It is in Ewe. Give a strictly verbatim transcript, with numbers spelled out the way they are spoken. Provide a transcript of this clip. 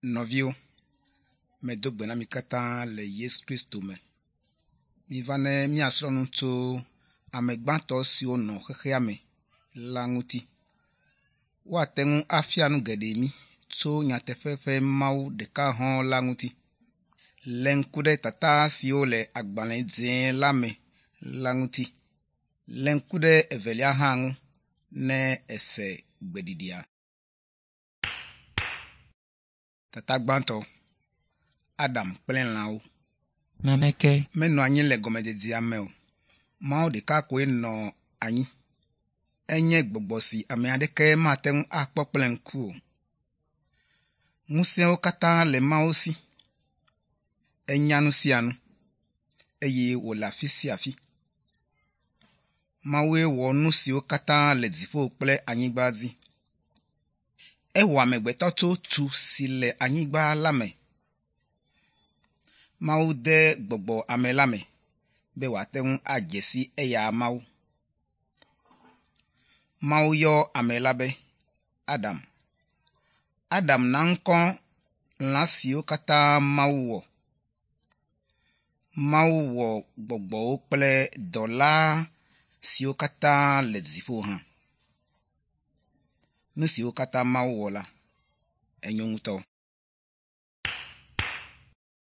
Nɔviwo, medo gbe na mi katã le Yesu Kristo me. Miva ne míasrɔ̃ nu tso ame gbãtɔ siwo nɔ xexea me la ŋuti. Woate ŋu afia nu geɖe mí tso nyateƒe ƒe Mawu ɖeka hɔ̃ la ŋuti. Lé ŋku ɖe tata siwo le agbalẽ dzẽ la me la ŋuti. Lé ŋku ɖe evelia hã ŋu ne èse gbeɖiɖia. Tata gbãtɔ Adam kple lãwo. Naneke Menɔ anyi le gɔmedzedzea me o. Mawu ɖeka koe nɔ anyi. Enye gbɔgbɔ si ame aɖeke mate ŋu akpɔ kple ŋku o. Ŋusẽwo katã le Mawu si. Enya nu sia nu eye wòle afi sia afi. Mawue wɔ nu siwo katã le dziƒo kple anyigba dzi. Ewɔ amegbetɔ tso tu si le anyigba la me. Mawu de gbɔgbɔ ame la me be wòate ŋu adze si eya Mawu. Mawu yɔ ame la be Adam. Adam na ŋkɔ lã siwo katã Mawu wɔ. Mawu wɔ gbɔgbɔwo kple dɔla siwo katã le dziƒo hã. Nu siwo katã Mawu wɔ la, enyo ŋutɔ.